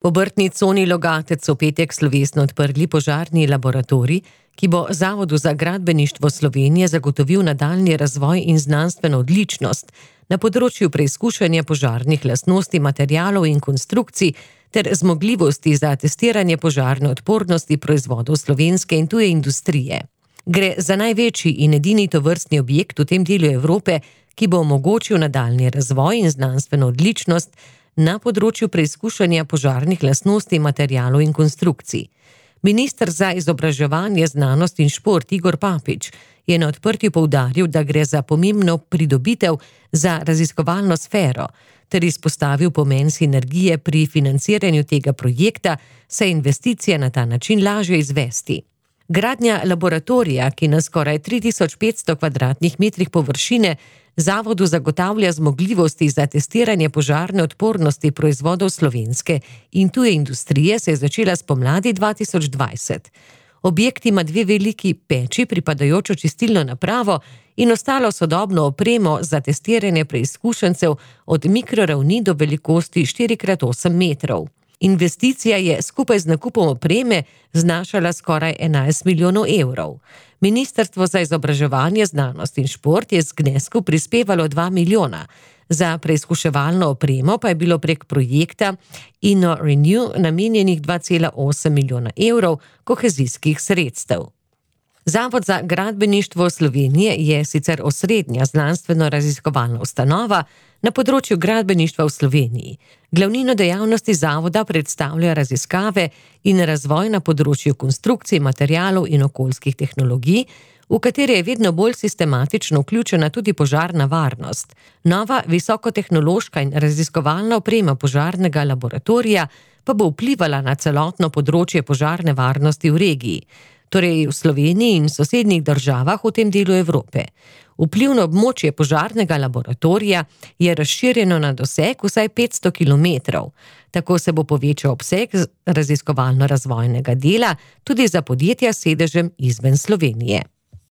V obrtni coni Logatec v petek slovesno odprli požarni laboratorij, ki bo Zavodu za gradbeništvo Slovenije zagotovil nadaljnji razvoj in znanstveno odličnost na področju preizkušanja požarnih lastnosti materialov in konstrukcij ter zmogljivosti za testiranje požarne odpornosti proizvodov slovenske in tuje industrije. Gre za največji in edini tovrstni objekt v tem delu Evrope, ki bo omogočil nadaljnji razvoj in znanstveno odličnost na področju preizkušanja požarnih lastnosti materialov in konstrukcij. Minister za izobraževanje, znanost in šport Igor Papič je na odprtju poudaril, da gre za pomembno pridobitev za raziskovalno sfero, ter izpostavil pomen sinergije pri financiranju tega projekta, saj je investicije na ta način lažje izvesti. Gradnja laboratorija, ki na skoraj 3500 kvadratnih metrih površine Zavodu zagotavlja zmogljivosti za testiranje požarne odpornosti proizvodov slovenske in tuje industrije, se je začela spomladi 2020. Objekt ima 2 veliki peči, pripadajočo čistilno napravo in ostalo sodobno opremo za testiranje preizkušencev od mikroravni do velikosti 4x8 metrov. Investicija je skupaj z nakupom opreme znašala skoraj 11 milijonov evrov. Ministrstvo za izobraževanje, znanost in šport je z znesku prispevalo 2 milijona. Za preizkuševalno opremo pa je bilo prek projekta InnoRenew namenjenih 2,8 milijona evrov kohezijskih sredstev. Zavod za gradbeništvo Slovenije je sicer osrednja znanstveno-raziskovalna ustanova na področju gradbeništva v Sloveniji. Glavnino dejavnosti zavoda predstavlja raziskave in razvoj na področju konstrukcij, materialov in okoljskih tehnologij, v katere je vedno bolj sistematično vključena tudi požarna varnost. Nova visokotehnološka in raziskovalna oprema požarnega laboratorija pa bo vplivala na celotno področje požarne varnosti v regiji, torej v Sloveniji in sosednjih državah v tem delu Evrope. Vplivno območje požarnega laboratorija je razširjeno na doseg vsaj 500 kilometrov. Tako se bo povečal obseg raziskovalno-razvojnega dela tudi za podjetja s sedežem izven Slovenije.